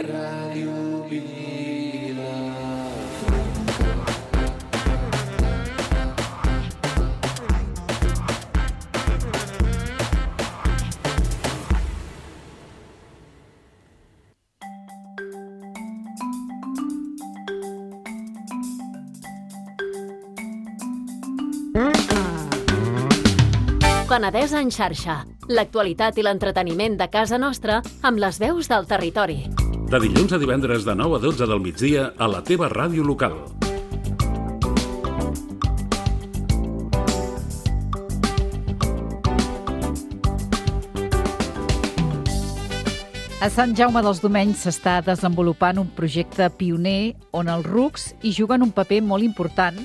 Ràdio Vila. Penedès en xarxa. L'actualitat i l'entreteniment de casa nostra amb les veus del territori. De dilluns a divendres de 9 a 12 del migdia a la teva ràdio local. A Sant Jaume dels Domenys s'està desenvolupant un projecte pioner on els rucs hi juguen un paper molt important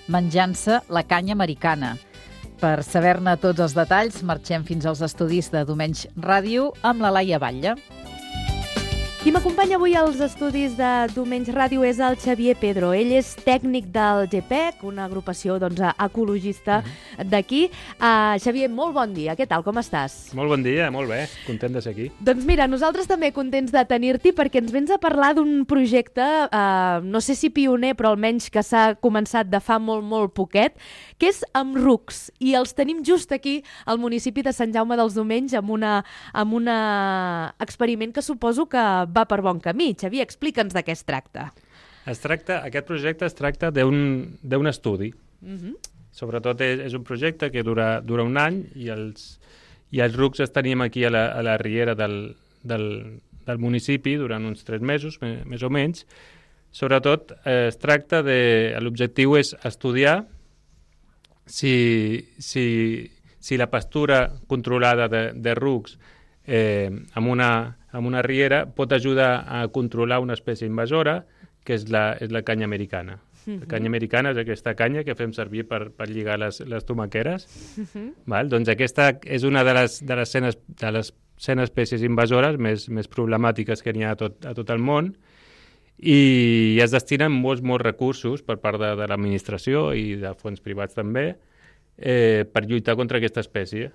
menjant-se la canya americana. Per saber-ne tots els detalls, marxem fins als estudis de Domenys Ràdio amb la Laia Batlle. Qui m'acompanya avui als estudis de Domenys Ràdio és el Xavier Pedro. Ell és tècnic del GPEC, una agrupació ecologista d'aquí. Xavier, molt bon dia. Què tal, com estàs? Molt bon dia, molt bé. Content de ser aquí. Doncs mira, nosaltres també contents de tenir-t'hi perquè ens vens a parlar d'un projecte, no sé si pioner, però almenys que s'ha començat de fa molt poquet, que és amb rucs. I els tenim just aquí, al municipi de Sant Jaume dels Domenys, amb un experiment que suposo que va per bon camí. Xavier, explica'ns de què es tracta. Aquest projecte es tracta d'un estudi. Sobretot és un projecte que dura un any i els rucs els tenim aquí a la riera del municipi durant uns 3 mesos, més o menys. Sobretot es tracta l'objectiu és estudiar si la pastura controlada de rucs amb una riera pot ajudar a controlar una espècie invasora, que és la canya americana. La canya americana és aquesta canya que fem servir per lligar les tomaqueres. Val? Doncs aquesta és una de les 100 espècies invasores més problemàtiques que n'hi ha a tot el món, i es destinen molts recursos per part de l'administració i de fons privats també per lluitar contra aquesta espècie.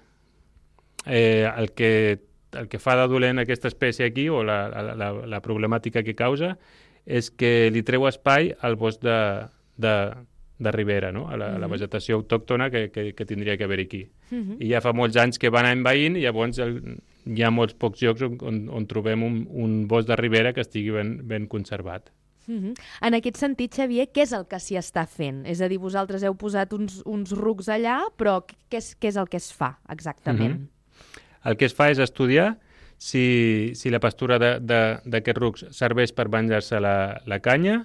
El que fa de dolent aquesta espècie aquí, o la problemàtica que causa, és que li treu espai al bosc de ribera, no? A la vegetació autòctona que tindria que haver aquí. I ja fa molts anys que van envaint, i llavors hi ha molts pocs llocs on trobem un bosc de ribera que estigui ben conservat. En aquest sentit, Xavier, què és el que s'hi està fent? És a dir, vosaltres heu posat uns rucs allà, però què és el que es fa exactament? El que es fa és estudiar si la pastura d'aquests rucs serveix per menjar-se la canya,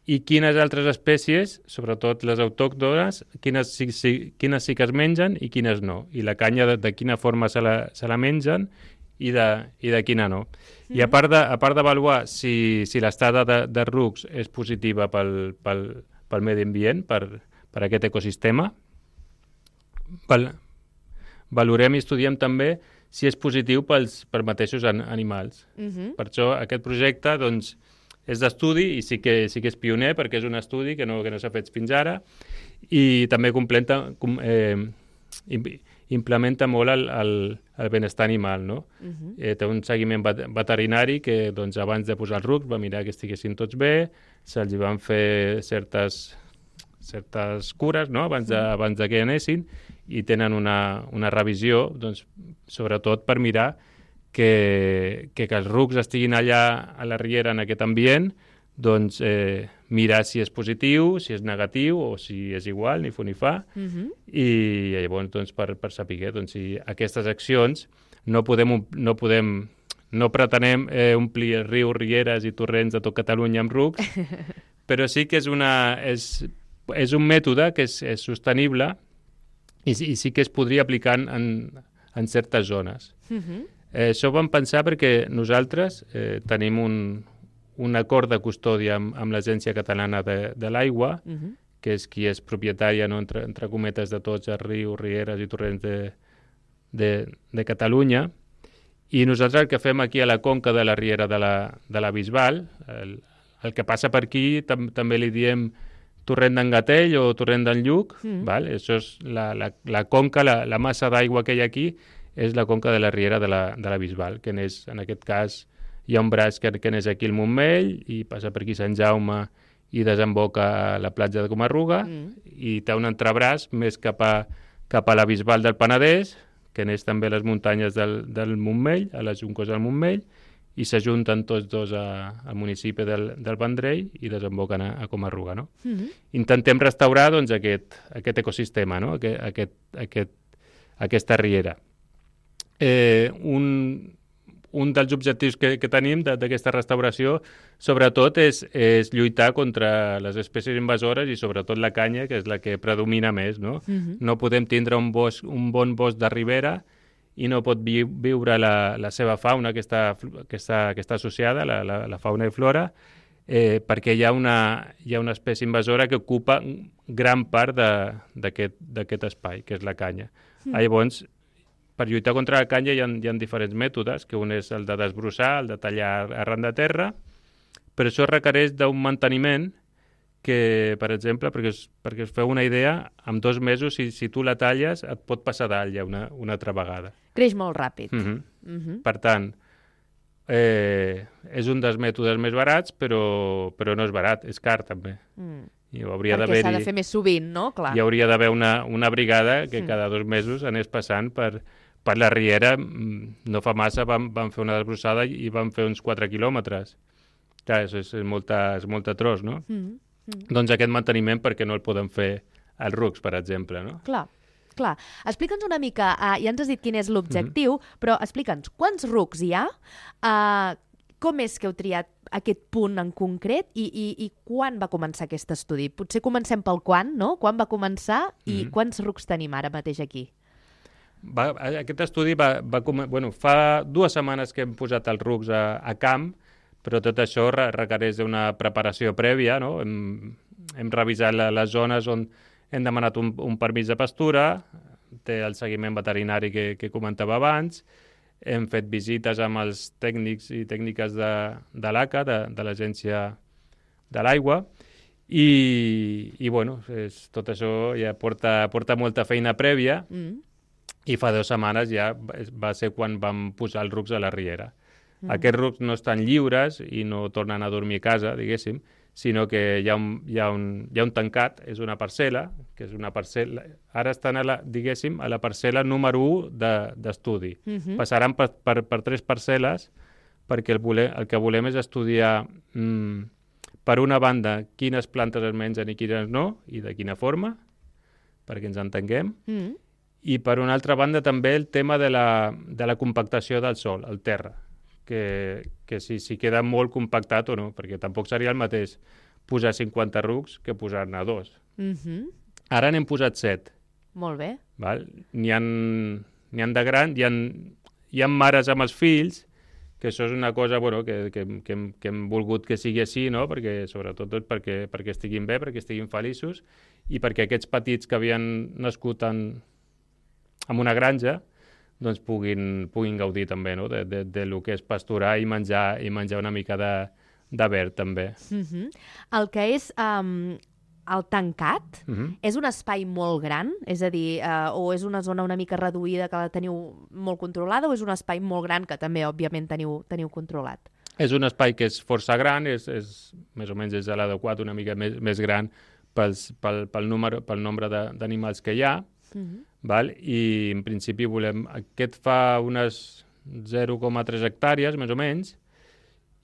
i quines altres espècies, sobretot les autòctones, quines sí que es mengen i quines no. I la canya de quina forma se la mengen i de quina no. I a part d'avaluar si l'estada de rucs és positiva pel medi ambient, per aquest ecosistema, valorem i estudiem també si és positiu pels mateixos animals. Per això aquest projecte doncs, és d'estudi, i sí que és pioner perquè és un estudi que no s'ha fet fins ara, i també implementa molt el benestar animal, no? Té un seguiment veterinari que doncs, abans de posar els rucs va mirar que estiguessin tots bé, se'ls van fer certes cures, no? abans de que anessin, i tenen una revisió, doncs, sobretot per mirar que els rucs estiguin allà a la riera en aquest ambient, doncs mirar si és positiu, si és negatiu o si és igual, ni fu ni fa, i llavors doncs, per saber si aquestes accions no pretenem omplir rius, rieres i torrents de tot Catalunya amb rucs, però sí que és un mètode que és sostenible i sí que es podria aplicar en certes zones. Això ho vam pensar perquè nosaltres tenim un acord de custòdia amb l'Agència Catalana de l'Aigua, que és qui és propietària, no, entre cometes, de tots els rius, rieres i torrents de Catalunya, i nosaltres el que fem aquí a la conca de la riera de la Bisbal, el que passa per aquí també li diem torrent d'en Gatell o torrent d'en Lluc, val? Això és la conca, la massa d'aigua que hi ha aquí, és la conca de la riera de la Bisbal, que n'és, en aquest cas, hi ha un braç que neix aquí al Montmell i passa per aquí Sant Jaume i desemboca a la platja de Comarruga i té un entrebraç més cap a la Bisbal del Penedès, que neix també a les muntanyes del Montmell, a les Juncos del Montmell, i s'ajunten tots dos al municipi del Vendrell i desemboquen a Comarruga. No? Intentem restaurar doncs, aquest ecosistema, no? Aquesta riera. Un dels objectius que tenim d'aquesta restauració, sobretot, és lluitar contra les espècies invasores i sobretot la canya, que és la que predomina més. No, no podem tindre un bon bosc de ribera i no pot viure la seva fauna que està associada, la fauna i flora, perquè hi ha una espècie invasora que ocupa gran part d'aquest espai, que és la canya. Llavors, per lluitar contra la canya hi ha diferents mètodes, que un és el de desbrossar, el de tallar arran de terra, però això requereix d'un manteniment que, per exemple, perquè us feu una idea, en 2 mesos, si tu la talles, et pot passar dalt ja una altra vegada. Creix molt ràpid. Per tant, és un dels mètodes més barats, però no és barat, és car també. Perquè s'ha de fer més sovint, no? Clar. Hi hauria d'haver una brigada que cada 2 mesos anés passant per la riera. No fa massa vam fer una desbrossada i vam fer uns 4 quilòmetres. Clar, és molta tros, no? Doncs aquest manteniment perquè no el podem fer als rucs, per exemple, no? Clar. Explica'ns una mica, ja ens has dit quin és l'objectiu, però explica'ns quants rucs hi ha, com és que heu triat aquest punt en concret i quan va començar aquest estudi? Potser comencem pel quan, no? Quan va començar i quants rucs tenim ara mateix aquí? Aquest estudi fa 2 setmanes que hem posat els rucs a camp, però tot això requereix una preparació prèvia, no? Hem revisat les zones on hem demanat un permís de pastura, té el seguiment veterinari que comentava abans, hem fet visites amb els tècnics i tècniques de l'ACA, de l'Agència de l'Aigua, i bueno, tot això ja porta molta feina prèvia, i fa 2 setmanes ja va ser quan vam posar els rucs a la riera. Aquests rucs no estan lliures i no tornen a dormir a casa, diguéssim, sinó que hi ha un tancat, és una parcel·la, que és una parcel·la, ara estan a la parcel·la número 1 d'estudi. Passaran per 3 parcel·les perquè el que volem és estudiar, per una banda, quines plantes es mengen i quines no, i de quina forma, perquè ens entenguem, i per una altra banda també el tema de la compactació del sòl, el terra, que si queda molt compactat o no, perquè tampoc seria el mateix posar 50 rucs que posar-ne 2. Ara n'hem posat 7. Molt bé. Val? N'hi ha de gran, hi ha mares amb els fills, que això és una cosa que hem volgut que sigui així, no? Perquè, sobretot perquè estiguin bé, perquè estiguin feliços, i perquè aquests petits que havien nascut en una granja doncs puguin gaudir també, no? de lo que és pasturar i menjar una mica de verd també. El que és el tancat és un espai molt gran? És a dir, o és una zona una mica reduïda que la teniu molt controlada, o és un espai molt gran que també, òbviament, teniu controlat? És un espai que és força gran, més o menys és l'adequat una mica més gran pel nombre d'animals que hi ha, val? I en principi aquest fa unes 0,3 hectàrees, més o menys,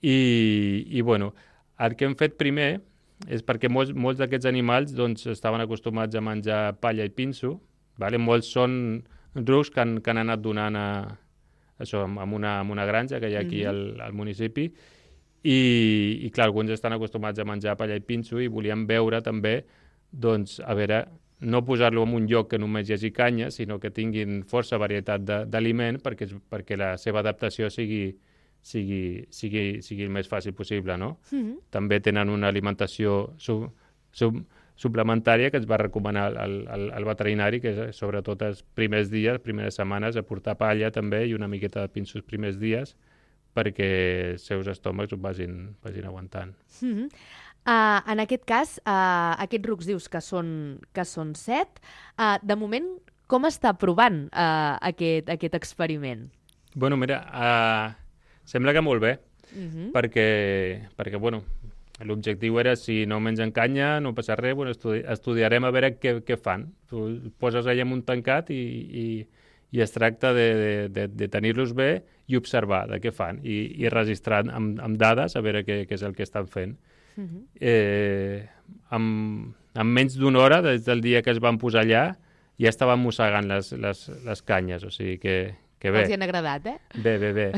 i bueno, el que hem fet primer és perquè molts d'aquests animals doncs, estaven acostumats a menjar palla i pinso, vale? Molts són rucs que han anat donant això, amb una granja que hi ha aquí al municipi, i clar, alguns estan acostumats a menjar palla i pinso i volíem veure també, doncs, a veure, no posar-lo en un lloc que només hi hagi canya, sinó que tinguin força varietat d'aliment perquè la seva adaptació sigui el més fàcil possible, no? També tenen una alimentació suplementària que ens va recomanar el veterinari, que sobretot els primers dies, primeres setmanes, aportar palla també i una miqueta de pinsos els primers dies perquè els seus estómacs ho vagin aguantant. En aquest cas, aquests rucs dius que són 7. De moment, com està provant aquest experiment? Bueno, mira, sembla que molt bé. perquè bueno, l'objectiu era, si no mengen canya, no passa res, bueno, estudiarem a veure què fan. Tu poses allà en un tancat i es tracta de tenir-los bé i observar de què fan i registrar amb dades a veure què és el que estan fent. En menys d'una hora, des del dia que es van posar allà, ja estaven mossegant les canyes, o sigui que bé. Els hi han agradat, eh? Bé.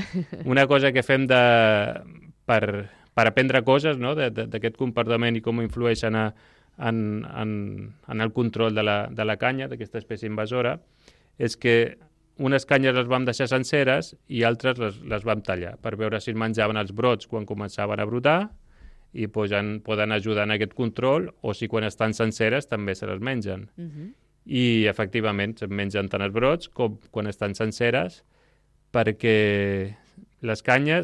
Una cosa que fem per aprendre coses, no?, d'aquest comportament i com influeixen en el control de la canya, d'aquesta espècie invasora, és que unes canyes les vam deixar senceres i altres les vam tallar per veure si menjaven els brots quan començaven a brotar i poden ajudar en aquest control, o si quan estan senceres també se les mengen. I efectivament se'n mengen tant els brots com quan estan senceres, perquè la canya,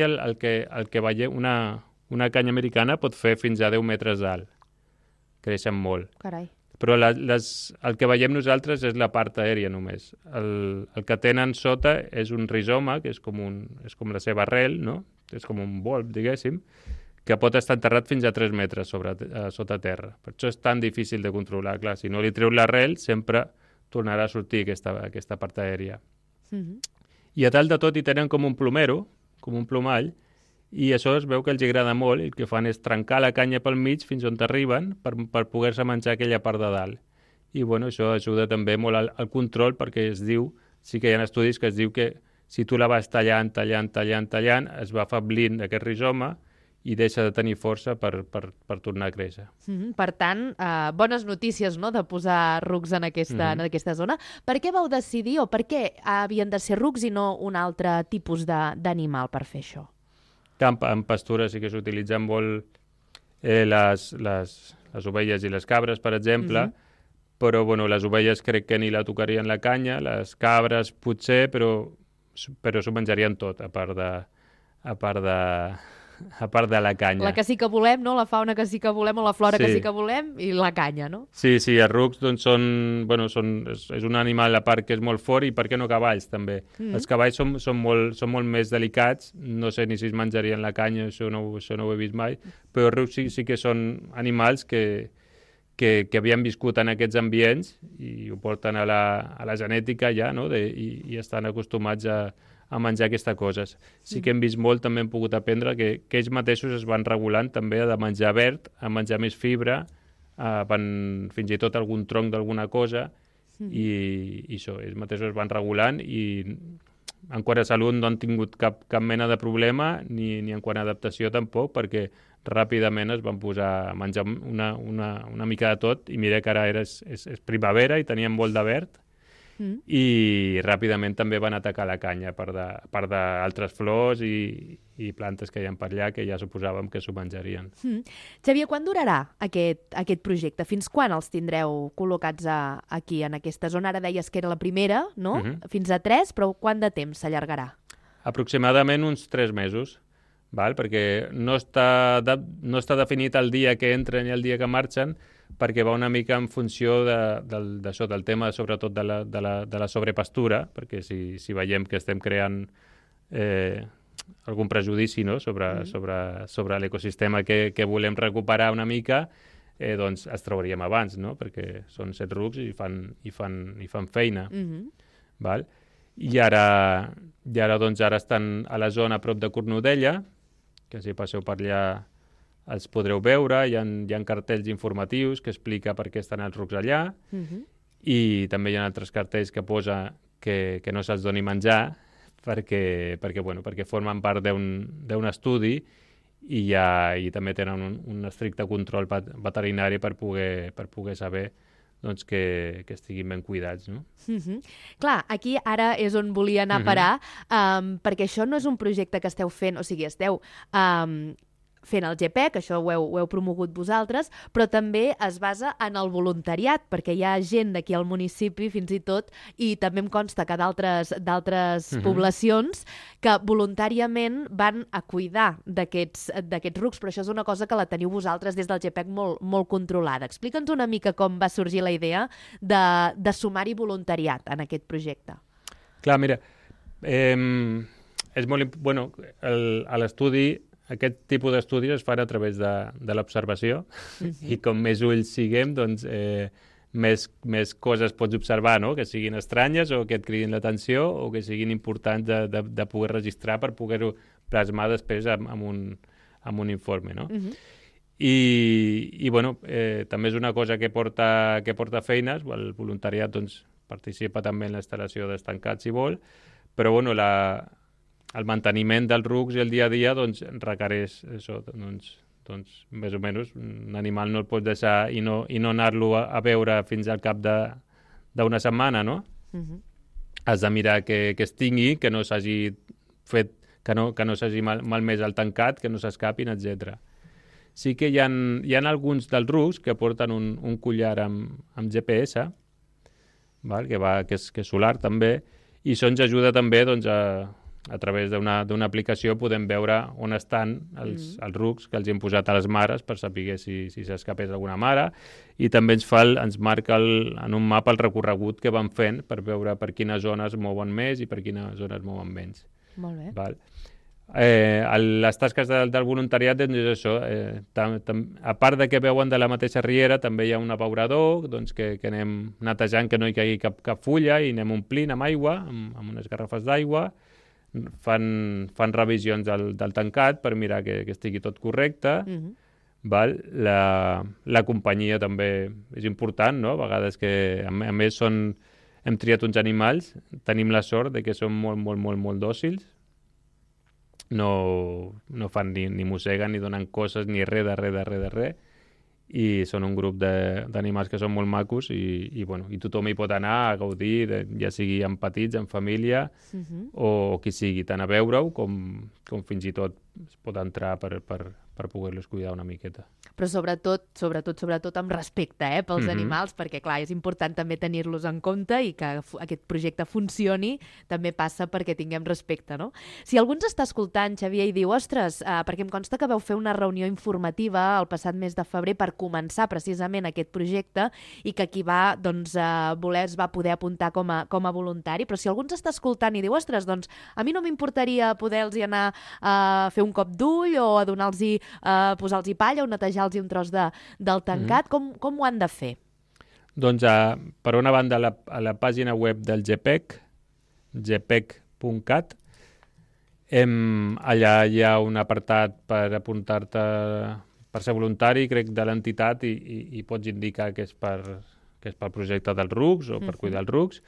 el que veiem, una canya americana pot fer fins a 10 metres d'alt. Creixen molt. Carai. Però el que veiem nosaltres és la part aèria només. El que tenen sota és un rizoma, que és com la seva arrel, no? És com un bulb, diguéssim, que pot estar enterrat fins a 3 metres sota terra. Per això és tan difícil de controlar. Clar, si no li treu l'arrel, sempre tornarà a sortir aquesta part aèria. I a dalt de tot hi tenen com un plomero, com un plomall, i això es veu que els agrada molt, i el que fan és trencar la canya pel mig fins on arriben per poder-se menjar aquella part de dalt. I bueno, això ajuda també molt al control, perquè es diu, sí que hi ha estudis que es diu que si tu la vas tallant, es va afablint aquest rizoma i deixa de tenir força per tornar a créixer. Per tant, bones notícies, no?, de posar rucs en aquesta zona. Per què vau decidir, o per què havien de ser rucs i no un altre tipus d'animal per fer això? En pastura sí que s'utilitzen molt les ovelles i les cabres, per exemple, però bueno, les ovelles crec que ni la tocarien la canya, les cabres potser, però s'ho menjarien tot, a part de la canya. La que sí que volem, no? La fauna que sí que volem, o la flora que sí que volem, i la canya, no? Sí, els rucs doncs, és un animal a part que és molt fort, i per què no cavalls també? Els cavalls són molt més delicats, no sé ni si es menjarien la canya, això no ho he vist mai, però els rucs sí que són animals que havien viscut en aquests ambients i ho porten a la genètica ja, no? I estan acostumats a menjar aquestes coses. Sí que hem vist molt, també hem pogut aprendre que ells mateixos es van regulant també de menjar verd, a menjar més fibra, fins i tot algun tronc d'alguna cosa, i això, ells mateixos es van regulant, i en quant a salut no han tingut cap mena de problema, ni en quant a adaptació tampoc, perquè ràpidament es van posar a menjar una mica de tot, i mira que ara és primavera i tenien molt de verd, i ràpidament també van atacar la canya, a part d'altres flors i plantes que hi ha per allà, que ja suposàvem que s'ho menjarien. Xavier, quan durarà aquest projecte? Fins quan els tindreu col·locats aquí, en aquesta zona? Ara deies que era la primera, no? Fins a 3, però quant de temps s'allargarà? Aproximadament uns 3 mesos, perquè no està definit el dia que entren i el dia que marxen, perquè va una mica en funció d'això, del tema sobretot de la sobrepastura, perquè si veiem que estem creant algun prejudici, no?, sobre l'ecosistema que volem recuperar una mica, doncs es trauríem abans, no?, perquè són 7 rucs i fan feina. I ara estan a la zona a prop de Cornudella, que si passeu per allà els podreu veure, hi ha cartells informatius que explica per què estan els rucs allà, i també hi ha altres cartells que posa que no se'ls doni menjar, perquè formen part d'un estudi, i també tenen un estricte control veterinari per poder saber doncs, que estiguin ben cuidats, no? Clar, aquí ara és on volia anar a parar, perquè això no és un projecte que esteu fent, o sigui, esteu fent el GPEC, això ho heu promogut vosaltres, però també es basa en el voluntariat, perquè hi ha gent d'aquí al municipi, fins i tot, i també em consta que d'altres poblacions, que voluntàriament van a cuidar d'aquests rucs, però això és una cosa que la teniu vosaltres des del GPEC molt controlada. Explica'ns una mica com va sorgir la idea de sumar-hi voluntariat en aquest projecte. Clar, mira, és molt... Bueno, a l'estudi, aquest tipus d'estudis es fan a través de l'observació i com més ulls siguem, doncs més coses pots observar, no? Que siguin estranyes o que et cridin l'atenció o que siguin importants de poder registrar per poder-ho plasmar després amb un informe, no? I bueno, també és una cosa que porta feines, el voluntariat doncs, participa també en la instal·lació d'estancats si vol, però bueno, el manteniment dels rucs i el dia a dia doncs, requereix això, doncs, més o menys, un animal no el pots deixar i no anar-lo a veure fins al cap d'una setmana, no? Has de mirar que es tingui, que no s'hagi fet, que no s'hagi malmès el tancat, que no s'escapin, etc. Sí que hi ha alguns dels rucs que porten un collar amb GPS, val? Que és solar també, i això ens ajuda també doncs, a través d'una aplicació podem veure on estan els rucs que els hem posat a les mares per saber si s'escapés alguna mare, i també ens marca en un mapa el recorregut que van fent per veure per quines zones mouen més i per quines zones mouen menys. Molt bé. Val. Les tasques del voluntariat doncs és això, a part de que veuen de la mateixa riera també hi ha un abeurador doncs, que anem netejant que no hi caigui cap fulla i anem omplint amb aigua, amb unes garrafes d'aigua, fan revisions del tancat per mirar que estigui tot correcte. Val? La companyia també és important, no? A vegades que a més hem triat uns animals, tenim la sort de que són molt, molt, molt, molt dòcils, no fan ni mosseguen, ni donen coses, ni res de res, i són un grup d'animals que són molt macos i tothom hi pot anar a gaudir, ja sigui amb petits, en família, o qui sigui, tant a veure-ho com fins i tot es pot entrar per poder-los cuidar una miqueta. Però sobretot amb respecte pels animals, perquè clar, és important també tenir-los en compte i que aquest projecte funcioni també passa perquè tinguem respecte, no? Si algú ens està escoltant, Xavier, i diu, ostres, perquè em consta que vau fer una reunió informativa el passat mes de febrer per començar precisament aquest projecte i que qui va voler es va poder apuntar com a voluntari, però si algú ens està escoltant i diu, ostres, doncs a mi no m'importaria poder-los anar a fer un cop d'ull o a donar-los posar-los palla o netejar-los un tros del tancat, com ho han de fer? Doncs, per una banda, a la pàgina web del GPEC, gpec.cat, allà hi ha un apartat per apuntar-te per ser voluntari, crec, de l'entitat i pots indicar que és pel projecte dels rucs o per cuidar els rucs,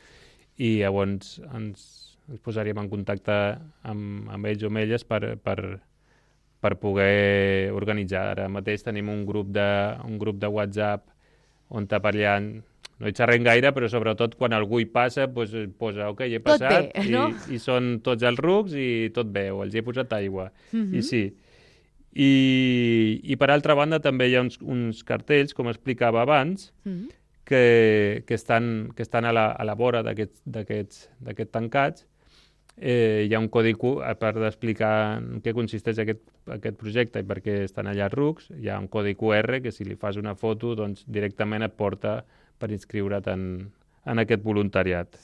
i llavors ens posaríem en contacte amb ells o amb elles per poder organitzar. Ara mateix tenim un grup de WhatsApp on per allà no hi xerrem gaire, però sobretot quan algú hi passa posa, ok, he passat, tot bé, no? i són tots els rucs i tot bé, o els hi he posat aigua. I sí. I per altra banda també hi ha uns cartells, com explicava abans, que estan a la vora d'aquests tancats. Hi ha un codi QR, a part d'explicar en què consisteix aquest projecte i per què estan allà els rucs, hi ha un codi QR que si li fas una foto doncs directament et porta per inscriure't en aquest voluntariat.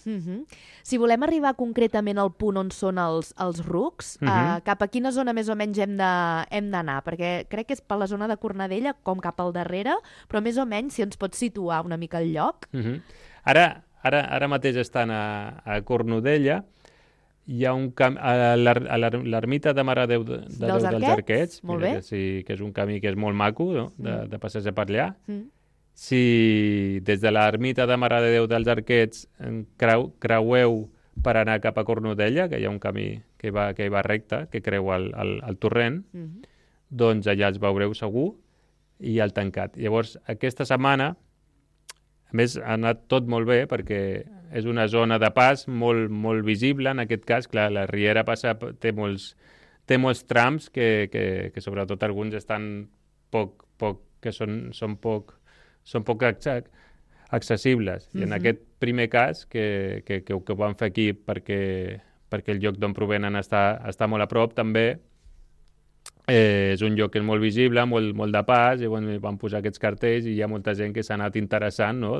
Si volem arribar concretament al punt on són els rucs, cap a quina zona més o menys hem d'anar? Perquè crec que és per la zona de Cornudella, com cap al darrere, però més o menys si ens pots situar una mica el lloc. Ara mateix estan a Cornudella. Hi ha un camí a l'ermita de Mare de Déu dels Arquets, que és un camí que és molt maco, no? de passejar per allà. Si des de l'ermita de Mare de Déu dels Arquets creueu per anar cap a Cornudella, que hi ha un camí que va recte, que creu el torrent, doncs allà els veureu segur, i el tancat. Llavors, aquesta setmana, a més, ha anat tot molt bé perquè és una zona de pas molt, molt visible. En aquest cas, clar, la riera té molts trams que sobretot alguns estan són poc accessibles. I en aquest primer cas, que ho van fer aquí perquè el lloc d'on provenen està molt a prop, també És un lloc que és molt visible, molt de pas, i van posar aquests cartells i hi ha molta gent que s'ha anat interessant, no?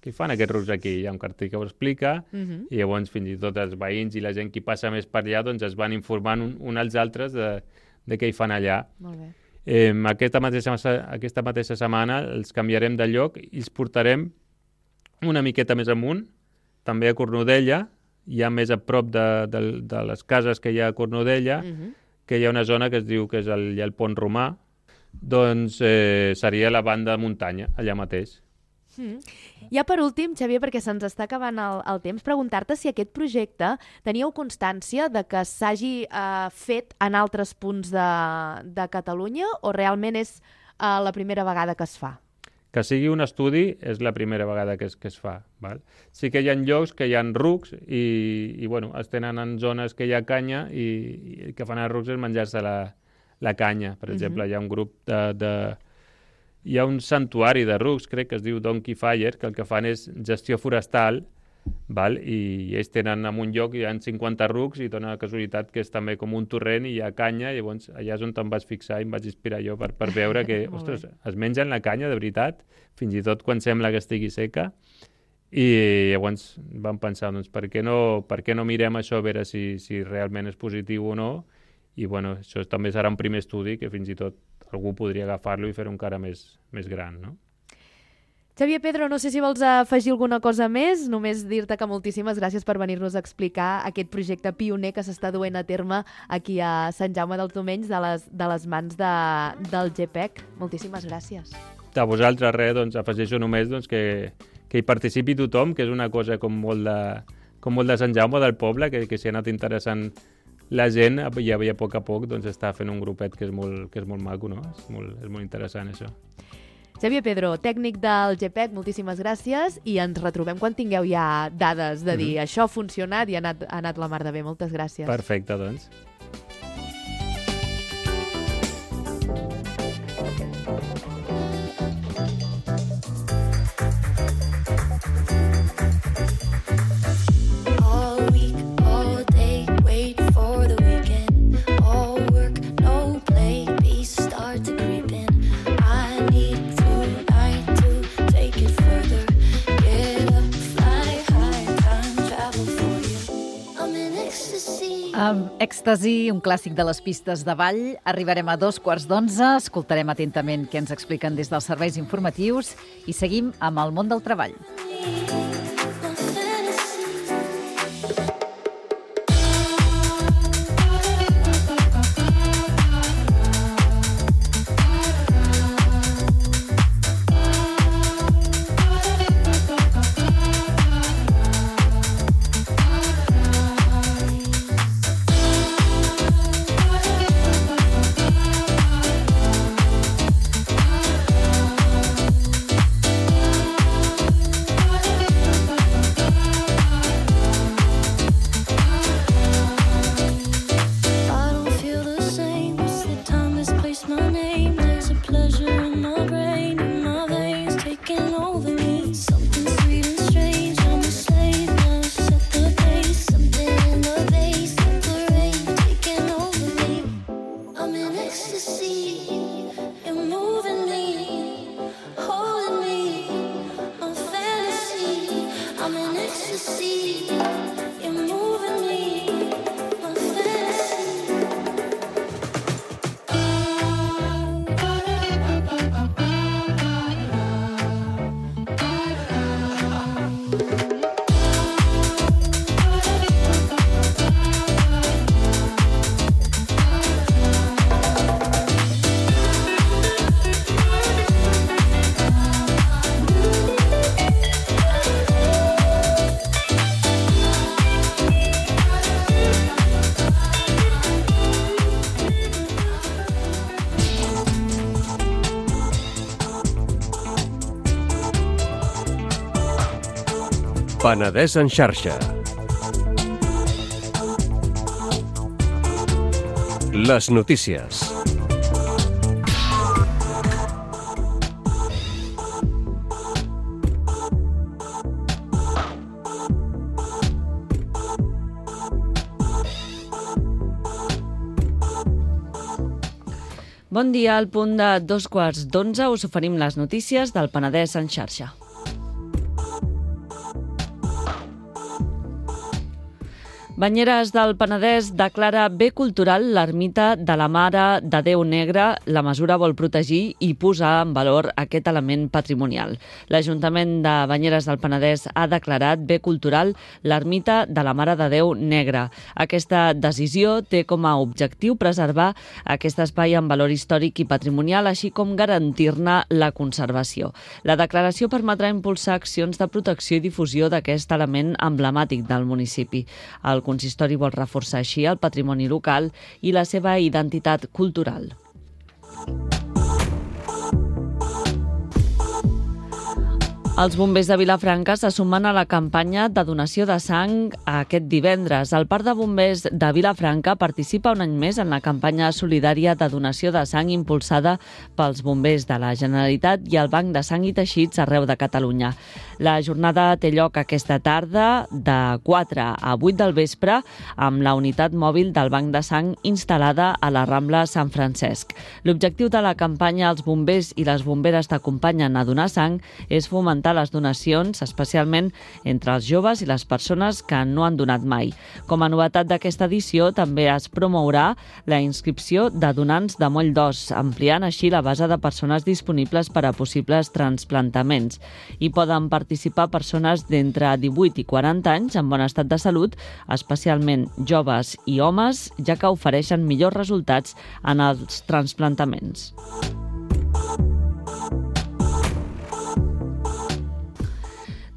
Què fan aquests rucs aquí? Hi ha un cartell que ho explica i llavors fins i tot els veïns i la gent que passa més per allà doncs es van informant un als altres de què hi fan allà. Molt bé. Aquesta mateixa setmana els canviarem de lloc i els portarem una miqueta més amunt, també a Cornudella, ja més a prop de les cases que hi ha a Cornudella, que hi ha una zona que es diu que és hi ha el Pont Romà, doncs seria la banda de muntanya, allà mateix. Ja per últim, Xavier, perquè se'ns està acabant el temps, preguntar-te si aquest projecte teníeu constància de que s'hagi fet en altres punts de Catalunya o realment és la primera vegada que es fa? Que sigui un estudi és la primera vegada que es fa. Val? Sí que hi ha llocs que hi ha rucs i bueno, es tenen en zones que hi ha canya i que fan els rucs és menjar-se la canya. Per exemple, hi ha un grup hi ha un santuari de rucs, crec que es diu Donkey Fire, que el que fan és gestió forestal, val? I ells tenen en un lloc, hi ha 50 rucs i dona la casualitat que és també com un torrent i hi ha canya, i llavors allà és on em vaig fixar i em vaig inspirar jo per veure que, ostres, es mengen la canya de veritat, fins i tot quan sembla que estigui seca, i llavors vam pensar, doncs, per què no mirem això a veure si realment és positiu o no, i bueno, això també serà un primer estudi que fins i tot algú podria agafar-lo i fer-ho encara més gran, no? Xavier Pedro, no sé si vols afegir alguna cosa més, només dir-te que moltíssimes gràcies per venir-nos a explicar aquest projecte pioner que s'està duent a terme aquí a Sant Jaume dels Domenys de les mans del GPEC. Moltíssimes gràcies. A vosaltres, doncs, afegeixo només que hi participi tothom, que és una cosa com molt de Sant Jaume del poble, que s'hi ha anat interessant la gent, i a poc a poc doncs, està fent un grupet que és molt maco, no? És molt interessant, això. Xavier Pedro, tècnic del GPEC, moltíssimes gràcies i ens retrobem quan tingueu ja dades de dir això ha funcionat i ha anat la mar de bé. Moltes gràcies. Perfecte, doncs. Amb Èxtasi, un clàssic de les pistes de ball, arribarem a 11:15, escoltarem atentament què ens expliquen des dels serveis informatius i seguim amb el món del treball. Penedès en xarxa. Les notícies. Bon dia, al punt de 11:15 us oferim les notícies del Penedès en xarxa. Banyeres del Penedès declara bé cultural l'ermita de la Mare de Déu Negre. La mesura vol protegir i posar en valor aquest element patrimonial. L'Ajuntament de Banyeres del Penedès ha declarat bé cultural l'ermita de la Mare de Déu Negre. Aquesta decisió té com a objectiu preservar aquest espai en valor històric i patrimonial, així com garantir-ne la conservació. La declaració permetrà impulsar accions de protecció i difusió d'aquest element emblemàtic del municipi. El consistori vol reforçar així el patrimoni local i la seva identitat cultural. Els bombers de Vilafranca se sumen a la campanya de donació de sang aquest divendres. El Parc de Bombers de Vilafranca participa un any més en la campanya solidària de donació de sang impulsada pels bombers de la Generalitat i el Banc de Sang i Teixits arreu de Catalunya. La jornada té lloc aquesta tarda de 4 a 8 del vespre amb la unitat mòbil del Banc de Sang instal·lada a la Rambla Sant Francesc. L'objectiu de la campanya Els bombers i les bomberes t'acompanyen a donar sang és fomentar les donacions, especialment entre els joves i les persones que no han donat mai. Com a novetat d'aquesta edició, també es promourà la inscripció de donants de moll d'os, ampliant així la base de persones disponibles per a possibles transplantaments. Hi poden participar persones d'entre 18 i 40 anys en bon estat de salut, especialment joves i homes, ja que ofereixen millors resultats en els transplantaments.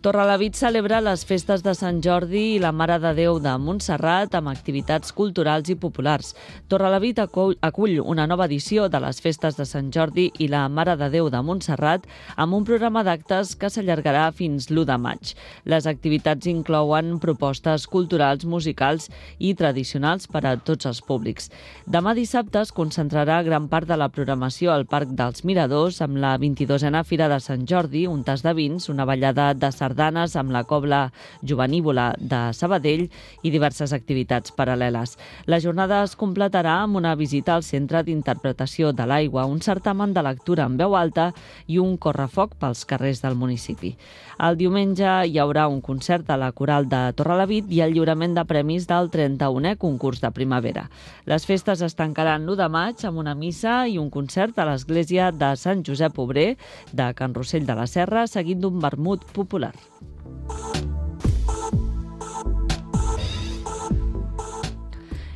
Torrelavit celebra les festes de Sant Jordi i la Mare de Déu de Montserrat amb activitats culturals i populars. Torrelavit acull una nova edició de les festes de Sant Jordi i la Mare de Déu de Montserrat amb un programa d'actes que s'allargarà fins l'1 de maig. Les activitats inclouen propostes culturals, musicals i tradicionals per a tots els públics. Demà dissabte es concentrarà gran part de la programació al Parc dels Miradors amb la 22a Fira de Sant Jordi, un tas de vins, una ballada de sardanes amb la cobla jovenívola de Sabadell i diverses activitats paral·leles. La jornada es completarà amb una visita al Centre d'Interpretació de l'Aigua, un certamen de lectura en veu alta i un correfoc pels carrers del municipi. El diumenge hi haurà un concert de la Coral de Torrelavit i el lliurament de premis del 31è concurs de primavera. Les festes es tancaran l'1 de maig amb una missa i un concert a l'església de Sant Josep Obrer de Can Rossell de la Serra, seguit d'un vermut popular.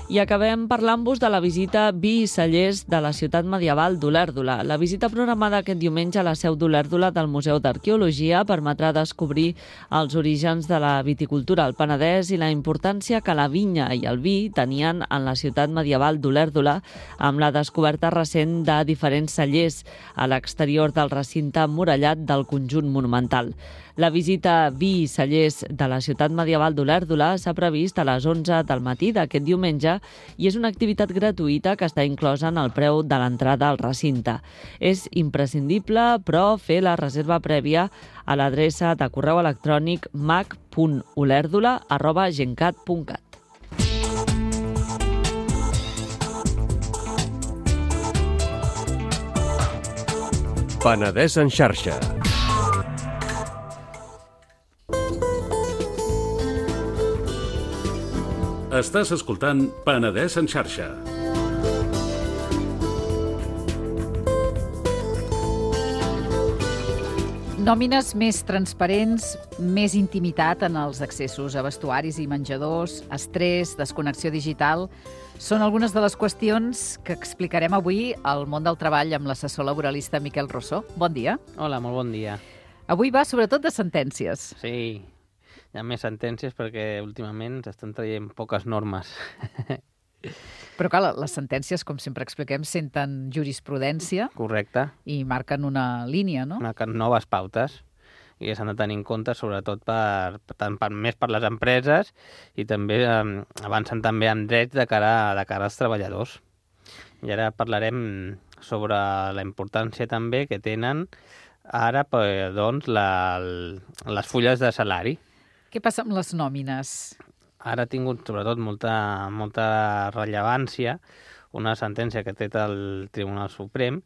I acabem parlant-vos de la visita Vi i Cellers de la ciutat medieval d'Olèrdola. La visita programada aquest diumenge a la seu d'Olèrdola del Museu d'Arqueologia permetrà descobrir els orígens de la viticultura al Penedès i la importància que la vinya i el vi tenien en la ciutat medieval d'Olèrdola amb la descoberta recent de diferents cellers a l'exterior del recinte emmurallat del conjunt monumental. La visita Vi i Cellers de la ciutat medieval d'Olèrdola s'ha previst a les 11 del matí d'aquest diumenge i és una activitat gratuïta que està inclosa en el preu de l'entrada al recinte. És imprescindible, però, fer la reserva prèvia a l'adreça de correu electrònic mac.olèrdola@gencat.cat. Penedès en xarxa. Estàs escoltant Penedès en xarxa. Nòmines més transparents, més intimitat en els accessos a vestuaris i menjadors, estrès, desconnexió digital... Són algunes de les qüestions que explicarem avui al món del treball amb l'assessor laboralista Miquel Rossó. Bon dia. Hola, molt bon dia. Avui va sobretot de sentències. Sí, hi ha més sentències perquè últimament s'estan traient poques normes. Però clar, les sentències, com sempre expliquem, senten jurisprudència. Correcte. I marquen una línia, no? Marquen noves pautes i s'han de tenir en compte sobretot més per les empreses i també avancen també en drets de cara als treballadors. I ara parlarem sobre la importància també que tenen ara doncs, les fulles de salari. Què passa amb les nòmines? Ara ha tingut sobretot molta rellevància una sentència que ha tret el Tribunal Suprem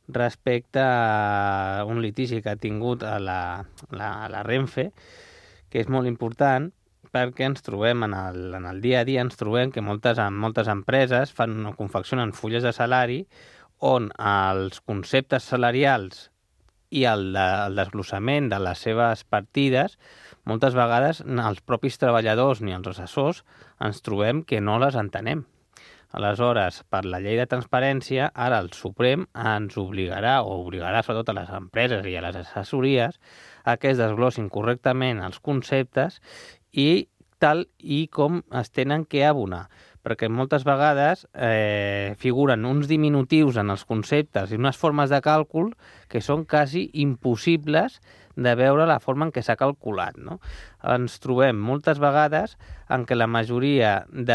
respecte a un litigi que ha tingut a la Renfe, que és molt important perquè ens trobem en el dia a dia, ens trobem que moltes empreses fan o confeccionen fulles de salari on els conceptes salarials i el desglossament de les seves partides, moltes vegades els propis treballadors ni els assessors ens trobem que no les entenem. Aleshores, per la llei de transparència, ara el Suprem ens obligarà sobretot a les empreses i a les assessories a que es desglossin correctament els conceptes i tal i com es tenen que abonar. Perquè moltes vegades figuren uns diminutius en els conceptes i unes formes de càlcul que són quasi impossibles de veure la forma en què s'ha calculat, no? Ens trobem moltes vegades en què la majoria de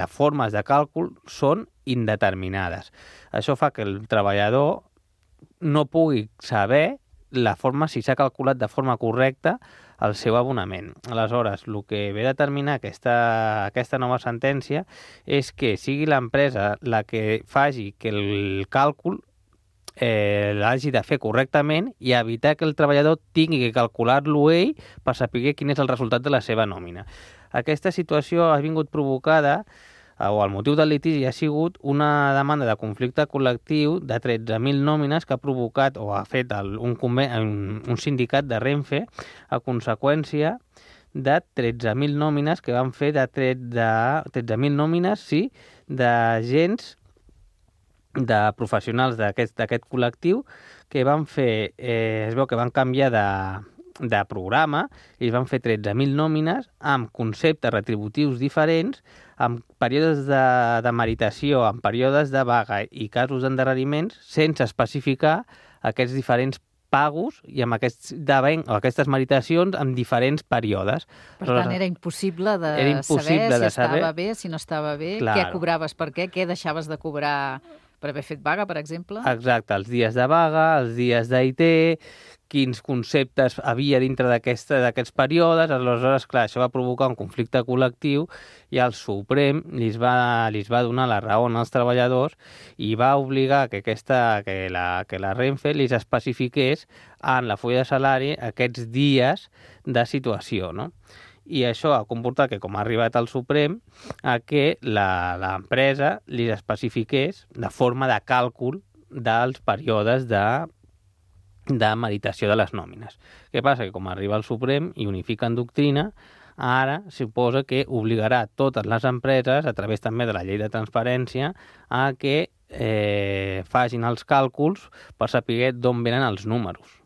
formes de càlcul són indeterminades. Això fa que el treballador no pugui saber la forma, si s'ha calculat de forma correcta el seu abonament. Aleshores, el que ve a determinar aquesta nova sentència és que sigui l'empresa la que faci que el càlcul l'hagi de fer correctament i evitar que el treballador tingui que calcular-lo ell per saber quin és el resultat de la seva nòmina. Aquesta situació ha vingut provocada, o el motiu del litigi ha sigut una demanda de conflicte col·lectiu de 13.000 nòmines que ha provocat o ha fet un sindicat de Renfe a conseqüència de 13.000 nòmines que van fer de 13.000 nòmines, sí, d'agents, de professionals d'aquest col·lectiu que van fer, es veu que van canviar de programa i es van fer 13.000 nòmines amb conceptes retributius diferents, amb períodes de meritació, amb períodes de vaga i casos d'endarreriments, sense especificar aquests diferents pagos i amb aquestes meritacions en diferents períodes. Per tant, era impossible de saber si estava bé, si no estava bé, què cobraves per què deixaves de cobrar per haver fet vaga, per exemple? Exacte, els dies de vaga, els dies d'IT, quins conceptes havia dintre d'aquests períodes. Aleshores, clar, això va provocar un conflicte col·lectiu i el Suprem li va donar la raó als treballadors i va obligar que la Renfe li especifiqués en la fulla de salari aquests dies de situació, no? I això ha comportat que, com ha arribat al Suprem, a que l'empresa li especifiqués la forma de càlcul dels períodes de meritació de les nòmines. Què passa? Que com arriba al Suprem i unifica en doctrina, ara suposa que obligarà totes les empreses, a través també de la llei de transparència, a que facin els càlculs per saber d'on venen els números,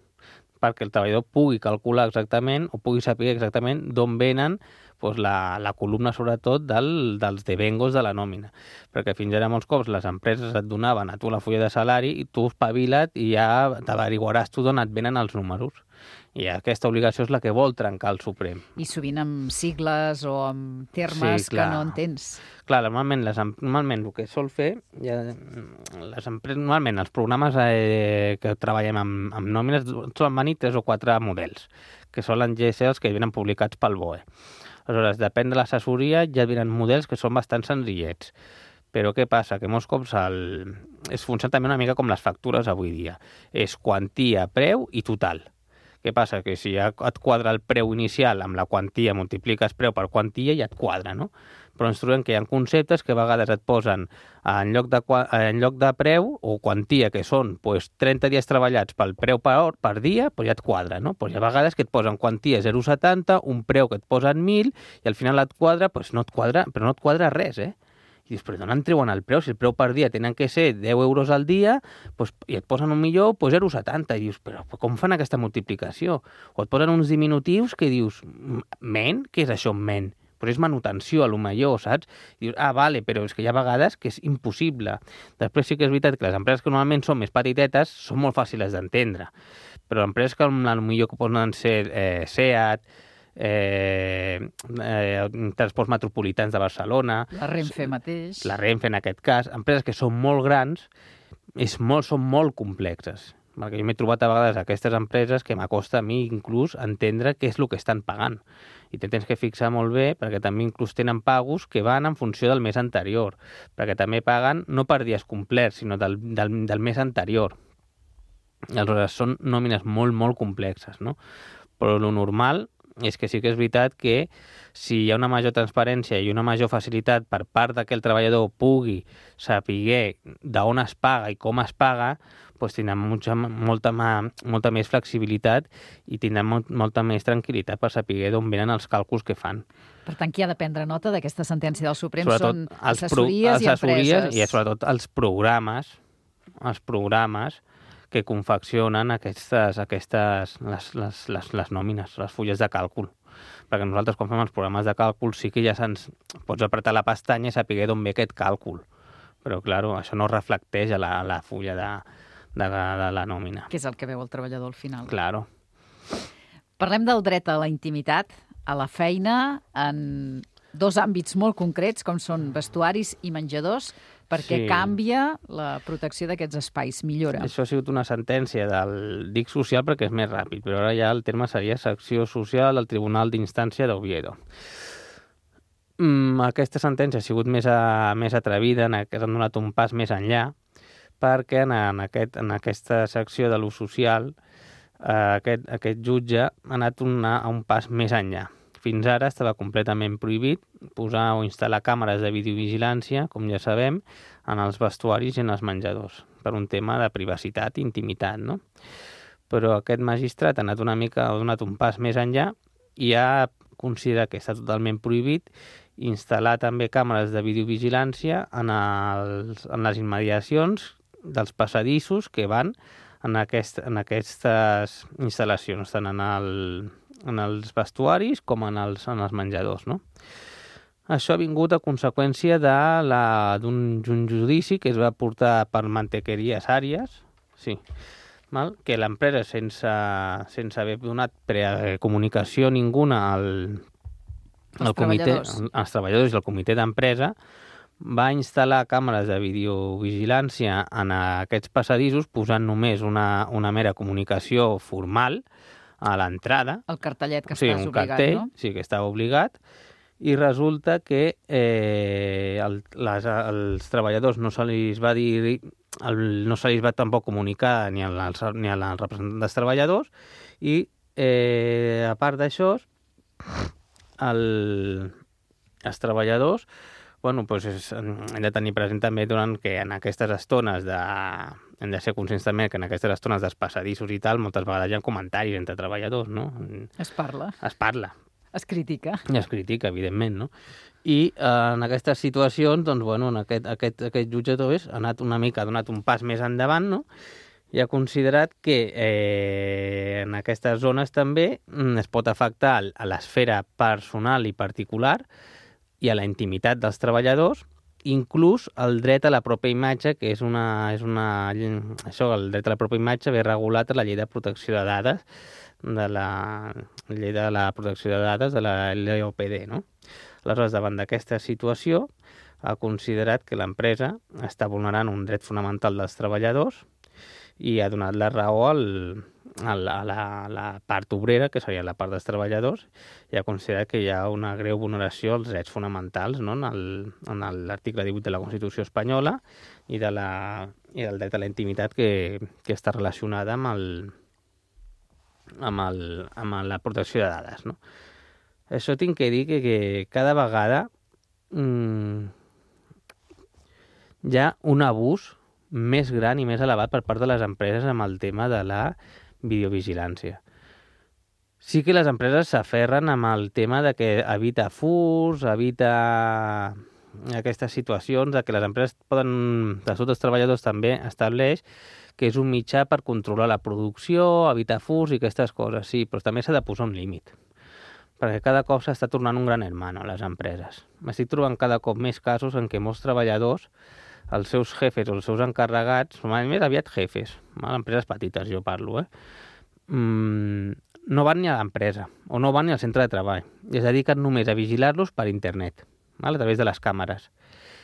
perquè el treballador pugui calcular exactament o pugui saber exactament d'on venen la columna, sobretot, dels devengos de la nòmina. Perquè fins ara molts cops les empreses et donaven a tu la fulla de salari i tu espavila't i ja t'averiguaràs tu d'on et venen els números. I aquesta obligació és la que vol trencar el Suprem. I sovint amb sigles o amb termes que no entens. Clar, normalment el que sol fer, les empreses, normalment els programes que treballem amb nòmines solen venir 3 o 4 models, que solen ser els que venen publicats pel BOE. Aleshores, depèn de l'assessoria, ja venen models que són bastant senzillets. Però què passa? Que molts cops funciona també una mica com les factures avui dia. És quantia, preu i total. Què passa? Que si ja et quadra el preu inicial amb la quantia, multipliques preu per quantia i et quadra, no? Però ens trobem que hi ha conceptes que a vegades et posen en lloc de preu o quantia, que són 30 dies treballats pel preu per dia, ja et quadra, no? Hi ha vegades que et posen quantia 0,70, un preu que et posen 1.000 i al final et quadra, no et quadra, però no et quadra res, I dius, però d'on en treuen el preu? Si el preu per dia tenen que ser 10 euros al dia i et posen $1.000.000, 0,70. I dius, però com fan aquesta multiplicació? O et posen uns diminutius que dius, men? Què és això, men? Però és manutenció, a lo millor, saps? I dius, vale, però és que hi ha vegades que és impossible. Després sí que és veritat que les empreses que normalment són més petitetes són molt fàcils d'entendre. Però empreses que potser que poden ser SEAT, transports metropolitans de Barcelona, la Renfe mateix, la Renfe en aquest cas, empreses que són molt grans, són molt complexes. Perquè jo m'he trobat a vegades aquestes empreses que m'acosta a mi inclús entendre què és el que estan pagant. I te tens que fixar molt bé, perquè també inclús tenen pagos que van en funció del mes anterior, perquè també paguen no per dies complerts, sinó del mes anterior. Aleshores, són nòmines molt, molt complexes, no? Però lo normal és que sí que és veritat que si hi ha una major transparència i una major facilitat per part que el treballador pugui saber d'on es paga i com es paga, doncs tindrà molta més flexibilitat i tindrà molta més tranquil·litat per saber d'on venen els càlculs que fan. Per tant, qui ha de prendre nota d'aquesta sentència del Suprem sobretot són assessories i empreses. I sobretot els programes que confeccionen les nòmines, les fulles de càlcul. Perquè nosaltres, quan fem els programes de càlcul, sí que ja pots apretar la pestanya i saber d'on ve aquest càlcul. Però, clar, això no reflecteix a la fulla de la nòmina. Que és el que veu el treballador al final. Claro. Parlem del dret a la intimitat, a la feina, en dos àmbits molt concrets, com són vestuaris i menjadors, perquè canvia la protecció d'aquests espais, millora. Això ha sigut una sentència del DIC social perquè és més ràpid, però ara ja el terme seria secció social del Tribunal d'Instància d'Oviedo. Aquesta sentència ha sigut més atrevida, que han donat un pas més enllà, perquè en aquesta secció de l'ús social aquest jutge ha anat a un pas més enllà. Fins ara estava completament prohibit posar o instal·lar càmeres de videovigilància, com ja sabem, en els vestuaris i en els menjadors, per un tema de privacitat i intimitat, no? Però aquest magistrat ha donat un pas més enllà i ha considerat que està totalment prohibit instal·lar també càmeres de videovigilància en les immediacions dels passadissos que van en aquestes instal·lacions, tant en els vestuaris com en els menjadors, no? Això ha vingut a conseqüència d'un judici que es va portar per Mantequeries Àries, que l'empresa, sense haver donat comunicació ninguna als treballadors i al comitè d'empresa, va instal·lar càmeres de videovigilància en aquests passadissos posant només una mera comunicació formal a l'entrada. El cartellet que estàs obligat, cartell, no? Sí, que estava obligat, i resulta que als treballadors no se li va tampoc comunicar ni als representants dels treballadors i, a part d'això, els treballadors hem de tenir present també que en aquestes estones hem de ser conscients també que en aquestes estones dels passadissos i tal, moltes vegades hi ha comentaris entre treballadors, no? Es parla. Es critica. I es critica, evidentment, no? I en aquestes situacions, aquest jutge ha donat un pas més endavant, no? I ha considerat que en aquestes zones també es pot afectar a l'esfera personal i particular i a la intimitat dels treballadors, inclús el dret a la pròpia imatge, que el dret a la pròpia imatge ve regulat a la llei de protecció de dades, de la llei de la protecció de dades de la LOPD, no? Aleshores, davant d'aquesta situació, ha considerat que l'empresa està vulnerant un dret fonamental dels treballadors i ha donat la raó a la part obrera, que seria la part dels treballadors, i ha considerat que hi ha una greu vulneració als drets fonamentals, no? En l'article 18 de la Constitució espanyola i del dret a la intimitat que està relacionada amb la protecció de dades, no? Això tinc que dir que cada vegada hi ha un abús més gran i més elevat per part de les empreses amb el tema de la videovigilància. Sí que les empreses s'aferren amb el tema de que evita furs, evita aquestes situacions, de que les empreses poden, de tots els treballadors també estableix que és un mitjà per controlar la producció, evitar furs i aquestes coses, sí, però també s'ha de posar un límit, perquè cada cop s'està tornant un gran hermano a les empreses. M'estic trobant cada cop més casos en què molts treballadors, els seus jefes o els seus encarregats, més aviat jefes, empreses petites jo parlo, no van ni a l'empresa o no van ni al centre de treball i es dediquen només a vigilar-los per internet, a través de les càmeres,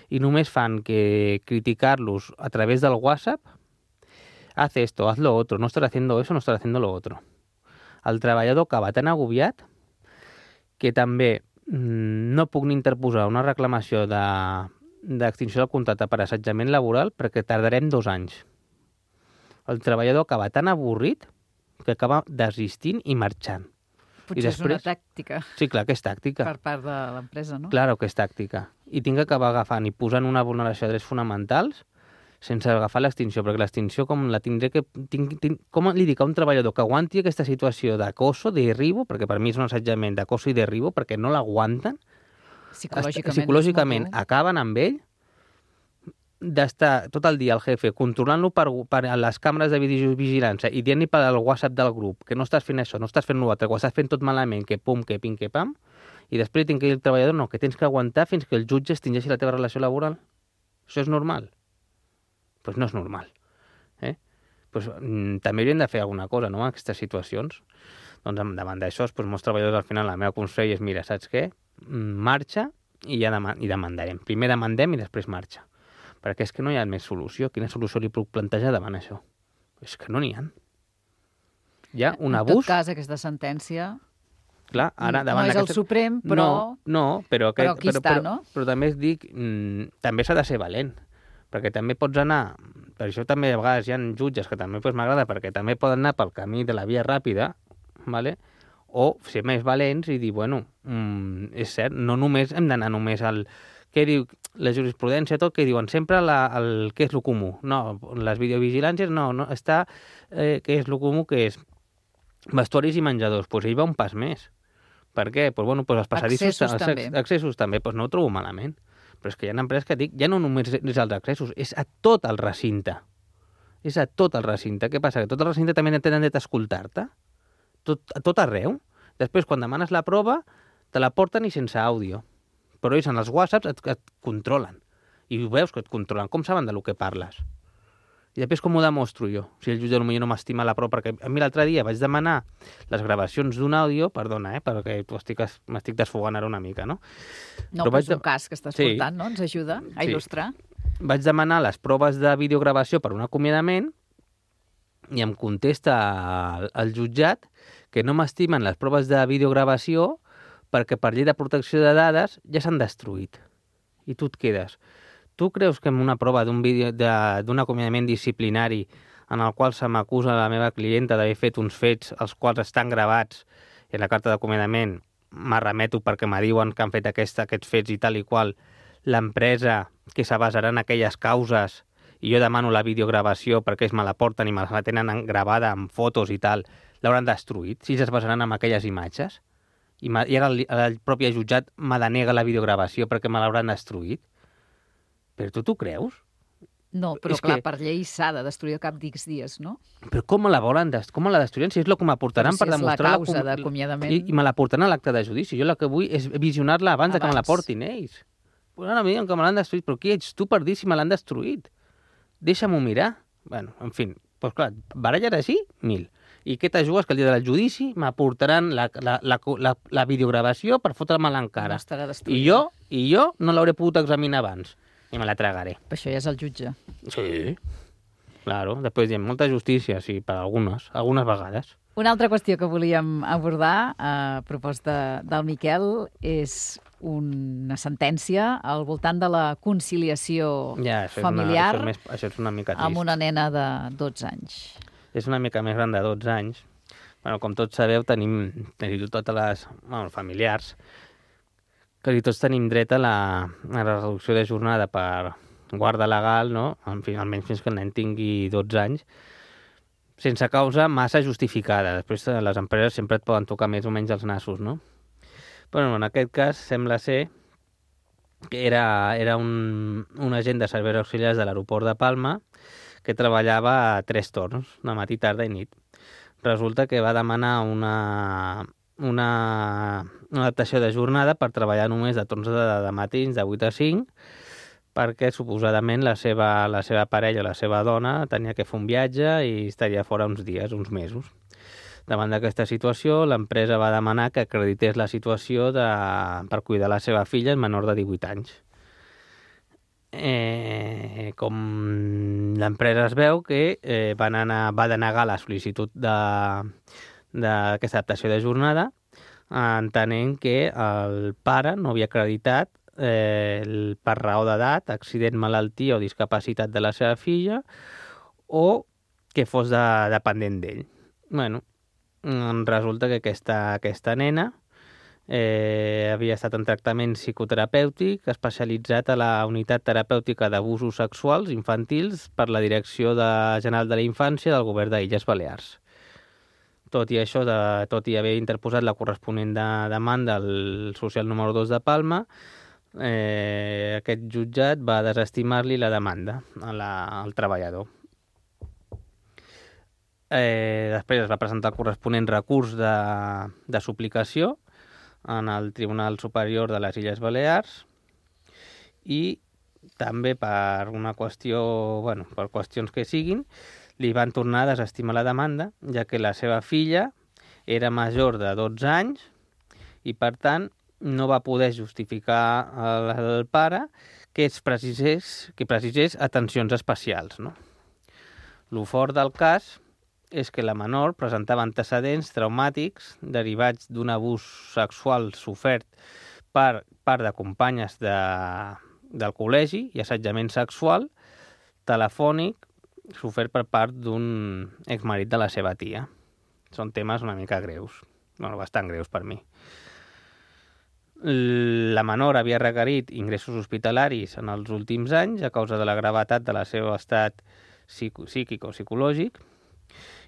i només fan que criticar-los a través del WhatsApp haz esto, haz lo otro, no estás haciendo eso, no estás haciendo lo otro. El treballador acaba tan agobiat que també no puc ni interposar una reclamació d'extinció del contracte per assetjament laboral perquè tardarem 2 anys. El treballador acaba tan avorrit que acaba desistint i marxant. Potser és una tàctica Sí, clar que és tàctica. per part de l'empresa, no? Claro que és tàctica. I tinc que acabar agafant i posant una vulneració de drets fonamentals sense agafar l'extinció, perquè l'extinció com la tindré que... Com li dic a un treballador que aguanti aquesta situació d'acoso, de derribo, perquè per mi és un assetjament d'acoso i derribo, perquè no l'aguanten, psicològicament acaben amb ell, d'estar tot el dia el jefe controlant-lo per les càmeres de videovigilància i dient-li per al WhatsApp del grup que no estàs fent això, no estàs fent l'altre, que ho estàs fent tot malament, que pum, que pim, que pam, i després tinc que dir al treballador no, que tens que aguantar fins que el jutge extingeixi la teva relació laboral. Això és normal? Doncs no és normal. Pues, també hauríem de fer alguna cosa, no?, en aquestes situacions. Doncs davant d'això, doncs, molts treballadors al final, el meu consell és, mira, saps què? Marxa i ja demandarem. Primer demandem i després marxa. Perquè és que no hi ha més solució. Quina solució li puc plantejar davant això? És que no n'hi ha. Hi ha un abús... En tot cas, aquesta sentència... Clar, ara, no és el Suprem, però... No, però aquí està, no? Però també dic, també s'ha de ser valent. Perquè també pots anar... Per això també a vegades hi ha jutges que també m'agrada, perquè també poden anar pel camí de la via ràpida, ¿vale? O ser més valents i dir, bueno, és cert, no només hem d'anar només al... Què diu la jurisprudència, tot, que diuen sempre què és el comú. No, les videovigilàncies no està... què és el comú, que és vestuaris i menjadors. Doncs ell va un pas més. Per què? Doncs, bueno, els passadissos... Accessos també. Doncs no ho trobo malament. Però és que hi ha empreses que dic, ja no només és als accessos, és a tot el recinte. És a tot el recinte. Què passa? Que tot el recinte també tenen dret a escoltar-te? A tot arreu? Després, quan demanes la prova, te la porten i sense àudio. Però ells en els whatsapps et controlen. I veus que et controlen. Com saben de lo que parles? I després com ho demostro jo? Si el jutge potser no m'estima la prova, perquè a mi l'altre dia vaig demanar les gravacions d'un àudio, perdona, perquè m'estic desfogant ara una mica, no? No, però és un cas que estàs portant, no? Ens ajuda a il·lustrar. Vaig demanar les proves de videogravació per un acomiadament i em contesta el jutjat que no m'estimen les proves de videogravació perquè per llei de protecció de dades ja s'han destruït. I tu et quedes. Tu creus que en una prova d'un acomiadament disciplinari en el qual se m'acusa la meva clienta d'haver fet uns fets els quals estan gravats i en la carta d'acomiadament m'arremeto perquè me diuen que han fet aquests fets i tal i qual, l'empresa que se basarà en aquelles causes i jo demano la videogravació perquè ells me la porten i me la tenen gravada amb fotos i tal, l'hauran destruït si es basaran en aquelles imatges? I ara el propi jutjat me denega la videogravació perquè me l'hauran destruït? Però tu t'ho creus? No, però clar, per llei s'ha de destruir al cap d'X dies, no? Però com la destruiran? Si és el que m'aportaran per demostrar... Si és la causa d'acomiadament... I me la portaran a l'acte de judici. Jo el que vull és visionar-la abans de que me la portin ells. Pues ara miren que me l'han destruït, però qui ets tu per dir si me l'han destruït? Deixa'm-ho mirar. Bueno, en fi, doncs clar, baralles així, 1000. I què t'ajugues? Que el dia del judici m'aportaran la videogravació per fotre-me-la encara. No estarà destruïda. I jo no l'hauré pogut examinar abans. I me la tragaré. Per això ja és el jutge. Sí, claro. Després diem molta justícia, sí, per algunes vegades. Una altra qüestió que volíem abordar a proposta del Miquel és una sentència al voltant de la conciliació familiar això és una mica trist. Amb una nena de 12 anys. És una mica més gran de 12 anys. Bueno, com tots sabeu, tenim totes les familiars que tots tenim dret a la reducció de jornada per guarda legal, no? En fi, almenys fins que el nen tingui 12 anys, sense causa massa justificada. Després les empreses sempre et poden tocar més o menys els nassos, no? Però en aquest cas sembla ser que era un agent de serveis auxiliars de l'aeroport de Palma que treballava a 3 torns, de matí, tarda i nit. Resulta que va demanar una adaptació de jornada per treballar només de torns de matins de 8 a 5 perquè suposadament la seva parella, la seva dona, tenia que fer un viatge i estaria fora uns dies, uns mesos. Davant d'aquesta situació, l'empresa va demanar que acredités la situació per cuidar la seva filla menor de 18 anys. com l'empresa es veu que va denegar la sol·licitud d'aquesta adaptació de jornada, entenent que el pare no havia acreditat per raó d'edat, accident, malaltia o discapacitat de la seva filla, o que fos dependent d'ell. Bueno, resulta que aquesta nena havia estat en tractament psicoterapèutic especialitzat a la unitat terapèutica d'abusos sexuals infantils per la Direcció General de la Infància del Govern d'Illes Balears. Tot i això, tot i haver interposat la corresponent demanda al social número 2 de Palma, aquest jutjat va desestimar-li la demanda al treballador. Després es va presentar el corresponent recurs de suplicació en el Tribunal Superior de les Illes Balears i també per una qüestió, per qüestions que siguin, li van tornar a desestimar la demanda, ja que la seva filla era major de 12 anys i, per tant, no va poder justificar al pare que precisés atencions especials. No? Lo fort del cas és que la menor presentava antecedents traumàtics derivats d'un abús sexual sofert per part de companyes del col·legi i assetjament sexual telefònic sofert per part d'un exmarit de la seva tia. Són temes una mica greus, bastant greus per mi. La menor havia requerit ingressos hospitalaris en els últims anys a causa de la gravetat de la seu estat psíquic o psicològic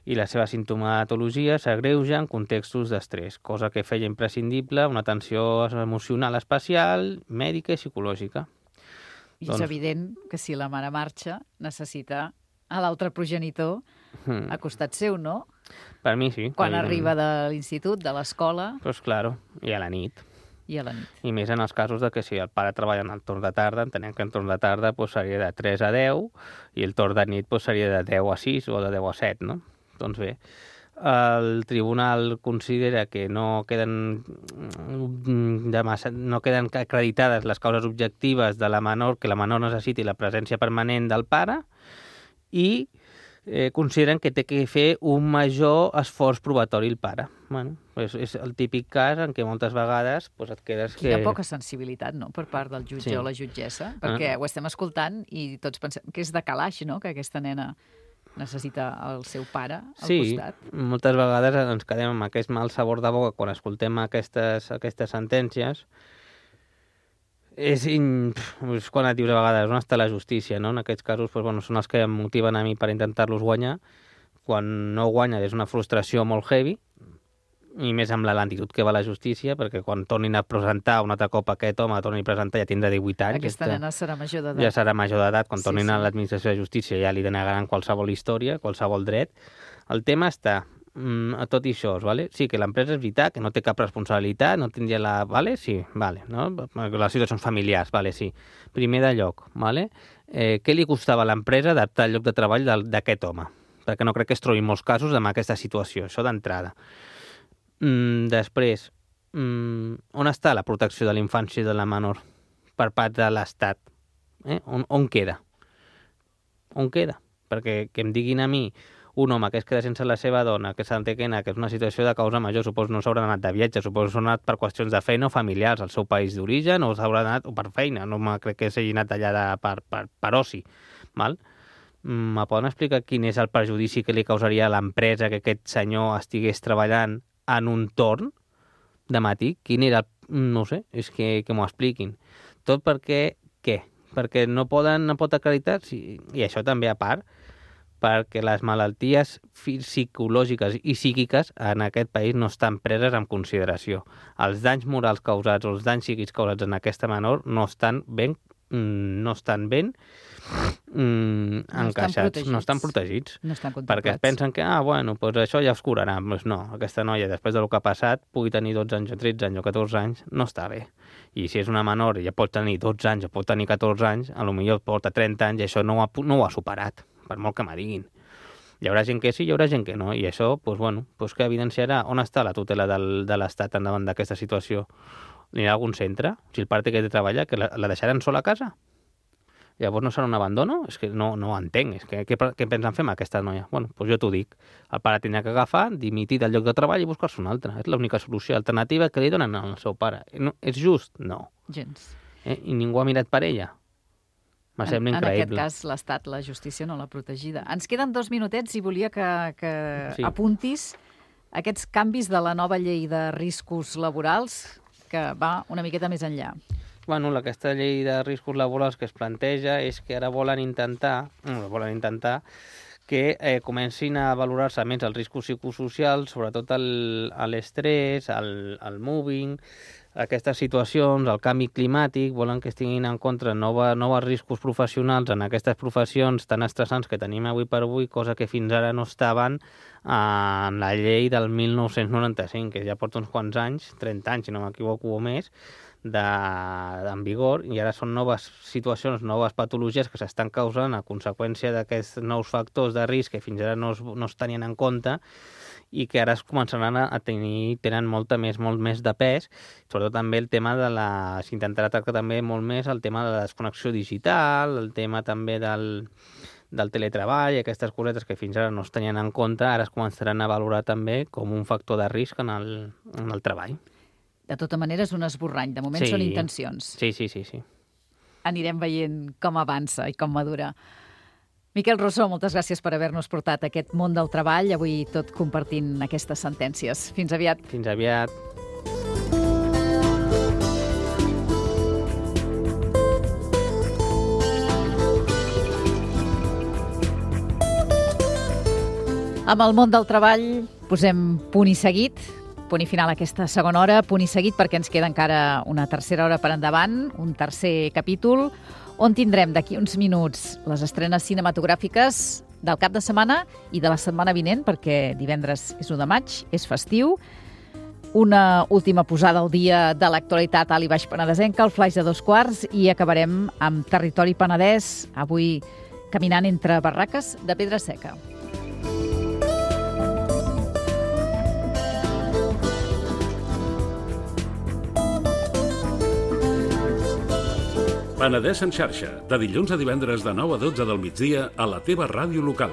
i la seva sintomatologia s'agreuja en contextos d'estrès, cosa que feia imprescindible una atenció emocional especial, mèdica i psicològica. I és evident que si la mare marxa, necessita a l'altre progenitor a costat seu, no? Per mi sí. Quan arriba de l'institut, de l'escola... Pues claro, i a la nit. I a la nit. I més en els casos de que si el pare treballa en el torn de tarda, entenem que en torn de tarda seria de 3 a 10 i el torn de nit seria de 10 a 6 o de 10 a 7, no? Doncs bé, el tribunal considera que no queden acreditades les causes objectives de la menor, que la menor necessiti la presència permanent del pare i consideren que té que fer un major esforç probatori el pare. Bueno, és el típic cas en què moltes vegades et quedes que... Hi ha poca sensibilitat, no?, per part del jutge o la jutgessa, perquè ho estem escoltant i tots pensem que és de calaix, no?, que aquesta nena necessita el seu pare al costat. Sí, moltes vegades ens quedem amb aquest mal sabor de boca quan escoltem aquestes sentències. És quan et dius a vegades on està la justícia, no? En aquests casos són els que em motiven a mi per intentar-los guanyar. Quan no guanya és una frustració molt heavy, i més amb la lentitud que va la justícia, perquè quan tornin a presentar un altre cop aquest home, torni a presentar, ja tindrà 18 anys. Aquesta nena serà major d'edat. Ja serà major d'edat. Quan tornin a l'administració de justícia ja li denegaran qualsevol història, qualsevol dret. El tema està a tot i això, ¿vale? Sí, que l'empresa és veritat, que no té cap responsabilitat, no tindria la... ¿vale? Sí, vale, no? Les situacions familiars, vale, sí. Primer de lloc, ¿vale? Què li costava a l'empresa adaptar el lloc de treball d'aquest home? Perquè no crec que es trobin molts casos amb aquesta situació, això d'entrada. Després, on està la protecció de la infància i de la menor per part de l'Estat? On queda? On queda? Perquè que em diguin a mi un home que es queda sense la seva dona, que s'entén que és una situació de causa major, suposo no s'haurà anat de viatge, suposo s'ha anat per qüestions de feina o familiars al seu país d'origen, o s'haurà anat per feina, no crec que s'hagi anat allà per oci, val? Me poden explicar quin és el perjudici que li causaria a l'empresa que aquest senyor estigués treballant en un torn de matí? Quin era no ho sé, és que m'ho expliquin. Tot perquè, què? Perquè no pot acreditar, i això també a part, perquè les malalties psicològiques i psíquiques en aquest país no estan preses en consideració. Els danys morals causats o els danys psíquics causats en aquesta menor no estan ben encaixats, no estan protegits. No estan contemplats. Perquè es pensen que, això ja es curarà. Doncs no, aquesta noia, després del que ha passat, pugui tenir 12 anys o 13 anys o 14 anys, no està bé. I si és una menor i ja pot tenir 12 anys o pot tenir 14 anys, potser porta 30 anys i això no ho ha superat, per molt que me diguin. Hi haurà gent que sí, hi haurà gent que no, i això, que evidenciarà on està la tutela de l'Estat endavant d'aquesta situació. Anirà a algun centre? Si el pare té que treballar, que la deixaran sola a casa? Llavors no serà un abandono? És que no ho entenc. És que, què pensen fer amb aquesta noia? Bueno, doncs jo t'ho dic. El pare tindrà que agafar, dimitir del lloc de treball i buscar-se un altre. És l'única solució alternativa que li donen al seu pare. No, és just? No. Gens. I ningú ha mirat per ella? Me sembla increïble. En aquest cas, l'Estat, la justícia no l'ha protegida. Ens queden 2 minutets i volia que Sí. apuntis aquests canvis de la nova llei de riscos laborals que va una miqueta més enllà. Bueno, aquesta llei de riscos laborals que es planteja és que ara volen intentar que comencin a valorar-se més els riscos psicosocials, sobretot l'estrès, el moving, aquestes situacions, el canvi climàtic, volen que es tinguin en compte nous riscos professionals en aquestes professions tan estressants que tenim avui per avui, cosa que fins ara no estaven en la llei del 1995, que ja porta uns quants anys, 30 anys, si no m'equivoco o més, en vigor, i ara són noves situacions, noves patologies que s'estan causant a conseqüència d'aquests nous factors de risc que fins ara no es tenien en compte i que ara es començaran tenen molt més de pes, sobretot també el tema s'intentarà tractar també molt més el tema de la desconnexió digital, el tema també del teletreball, aquestes cosetes que fins ara no es tenien en compte, ara es començaran a valorar també com un factor de risc en el treball. De tota manera, és un esborrany. De moment són intencions. Sí. Anirem veient com avança i com madura. Miquel Rossó, moltes gràcies per haver-nos portat aquest món del treball, avui tot compartint aquestes sentències. Fins aviat. Fins aviat. Amb el món del treball posem punt i seguit, punt i final a aquesta segona hora, punt i seguit perquè ens queda encara una tercera hora per endavant, un tercer capítol, on tindrem d'aquí uns minuts les estrenes cinematogràfiques del cap de setmana i de la setmana vinent, perquè divendres és 1 de maig, és festiu, una última posada al dia de l'actualitat alt i baix penedesenca, el flaix de 2:15, i acabarem amb Territori Penedès, avui caminant entre barraques de pedra seca. Penedès en xarxa, de dilluns a divendres de 9 a 12 del migdia a la teva ràdio local.